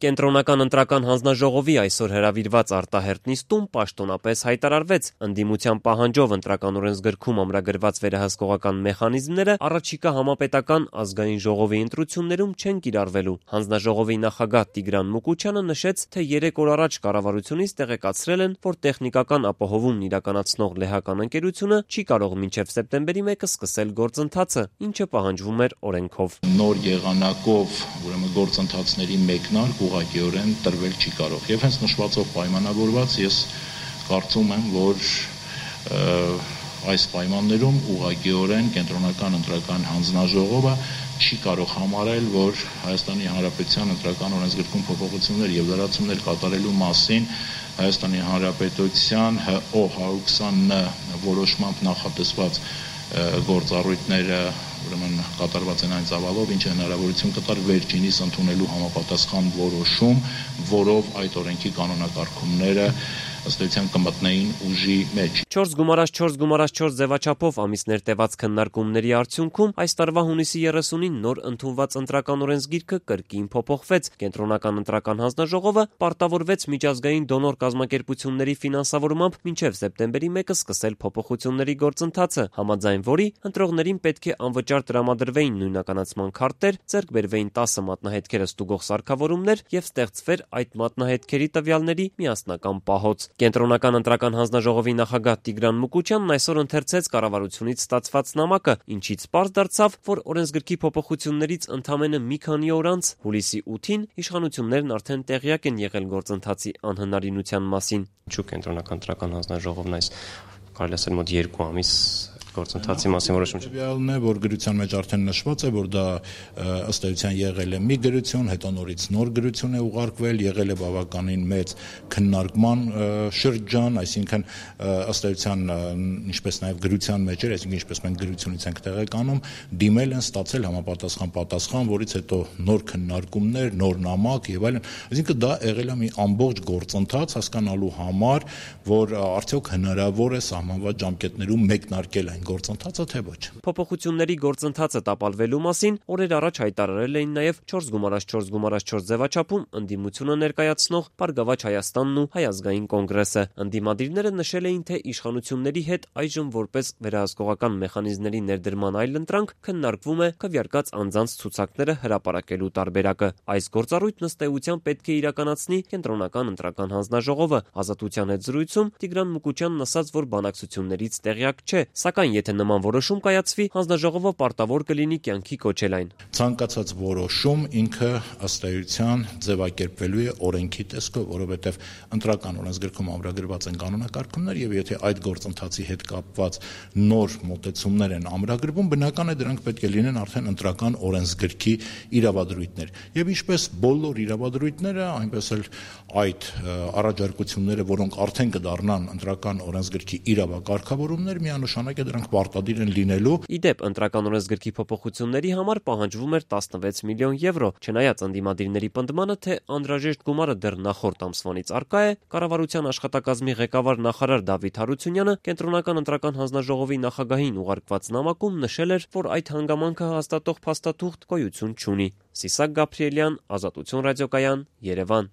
Կենտրոնական ընտրական հանձնաժողովի այսօր հրավիրված արտահերթ նիստում պաշտոնապես հայտարարվեց ընդդիմության պահանջով ընտրական օրենսգրքում ամրագրված վերահսկողական մեխանիզմները առաջիկա համապետական ազգային ժողովի ընտրություններում չեն կիրառվելու։ Հանձնաժողովի նախագահ Տիգրան Մուկուչյանը նշեց, թե 3 օր առաջ կառավարությունից տեղեկացրել են, որ տեխնիկական ապահովումն իրականացնող լեհական ընկերությունը չի կարող մինչև սեպտեմբերի 1-ը սկսել գործընթացը, ինչը պահանջվում էր օրենքով։ Նոր եղանակով գործընթացների մեկնարկ ուղղակիորեն տրվել չի կարող։ Եվ հենց նշվածով պայմանավորված ես կարծում եմ, որ այս պայմաններում ուղղակիորեն կենտրոնական ընտրական հանձնաժողովը չի կարող համարել, որ Հայաստանի Հանրապետության ընտրական օրենսգրքում փոփոխություններ եւ լրացումներ կատարելու մասին Հայաստանի Հանրապետության ՀՕ 120 որոշմամբ նախատեսված գործառույթները կատարված են այն ծավալով, ինչը հնարավորություն կտար վերջինիս ընդունելու համապատասխան որոշում, որով այդ օրենքի կանոնակարգումները ըստ էության կմտնեին ուժի մեջ։ 4x4x4 ձևաչափով ամիսներ տևած քննարկումների արդյունքում այս տարվա հունիսի 30-ին նոր ընդունված ընտրական օրենսգիրքը կրկին փոփոխվեց։ Կենտրոնական ընտրական հանձնաժողովը պարտավորվեց միջազգային դոնոր կազմակերպությունների ֆինանսավորմամբ մինչև սեպտեմբերի 1-ը սկսել փոփոխությունների գործընթացը, համաձայն որի ընտրողներին պետք է անվճար տրամադրվեին նույնականացման քարտեր, ձեռք բերվեին 10 մատնահետքերը ստուգող սարքավորումներ եւ ստեղծվեր այդ մատնահետքերի տվյալների միասնական պահոց։ Կենտրոնական ընտրական հանձնաժողովի նախագահ Տիգրան Մուկուչյանն այսօր ընթերցեց կառավարությունից ստացված նամակը, ինչից պարզ դարձավ, որ օրենսգրքի փոփոխություններից ընդամենը մի քանի օր անց, հուլիսի 8-ին, իշխանություններն արդեն տեղյակ են եղել գործընթացի անհնարինության մասին։ Ինչու կենտրոնական ընտրական հանձնաժողովն այս կարելի ասել մոտ 2 ամիս գործընթացի մասին որոշում չի։ Տվյալն է, որ գրության մեջ արդեն նշված է, որ դա ըստ էության եղել է մի գրություն, հետո նորից նոր գրություն է ուղարկվել, եղել է բավականին մեծ քննարկման շրջան, այսինքն ըստ էության ինչպես նաև գրության մեջ էր, այսինքն ինչպես մենք գրությունից ենք տեղեկանում, դիմել են, ստացել համապատասխան պատասխան, որից հետո նոր քննարկումներ, նոր նամակ եւ այլն։ Այսինքն դա եղել է մի ամբողջ գործընթաց հասկանալու համար, որ արդյոք հնարավոր է սահմանված ժամկետներում մեկնարկել գործընթացը թե ոչ։ Փոփոխությունների գործընթացը տապալվելու մասին օրեր առաջ հայտարարել էին նաև 4x4x4 ձևաչափում ընդդիմությունը ներկայացնող Բարգավաճ Հայաստանն ու Հայ ազգային կոնգրեսը։ Ընդդիմադիրները նշել էին, թե իշխանությունների հետ այժմ որպես վերահսկողական մեխանիզմների ներդրման այլընտրանք քննարկվում է քվեարկած անձանց ցուցակները հրապարակելու տարբերակը։ Այս գործառույթն ըստ էության պետք է իրականացնի կենտրոնական ընտրական հանձնաժողովը։ Ազատության հետ զրույցում Տիգրան Մուկուչյանն ասաց, որ բանակցություններից տեղյակ չէ, սակայն եթե նման որոշում կայացվի, հանձնաժողովը պարտավոր կլինի կյանքի կոչել այն։ Ցանկացած որոշում ինքը ըստ էության ձևակերպվելու է օրենքի տեսքով, որովհետև ընտրական օրենսգրքում ամրագրված են կանոնակարգումներ եւ եթե այդ գործընթացի հետ կապված նոր մոտեցումներ են ամրագրվում, բնական է դրանք պետք է լինեն արդեն ընտրական օրենսգրքի իրավադրույթներ։ Եվ ինչպես բոլոր իրավադրույթները, այնպես էլ այդ առաջարկությունները, որոնք արդեն կդառնան ընտրական օրենսգրքի իրավակարգավորումներ, միանշանակ է դրանք պարտադիր են լինելու։ Իդեպ ընտրական օրենսգրքի փոփոխությունների համար պահանջվում էր 16 միլիոն եվրո, չնայած ընդդիմադիրների պնդմանը, թե անհրաժեշտ գումարը դեռ նախորդ ամսվանից առկա է, կառավարության աշխատակազմի ղեկավար նախարար Դավիթ Հարությունյանը կենտրոնական ընտրական հանձնաժողովի նախագահին ուղարկված նամակում նշել էր, որ այդ հանգամանքը հաստատող փաստաթուղթ գոյություն չունի։ Սիսակ Գաբրիելյան, Ազատություն ռադիոկայան, Երևան։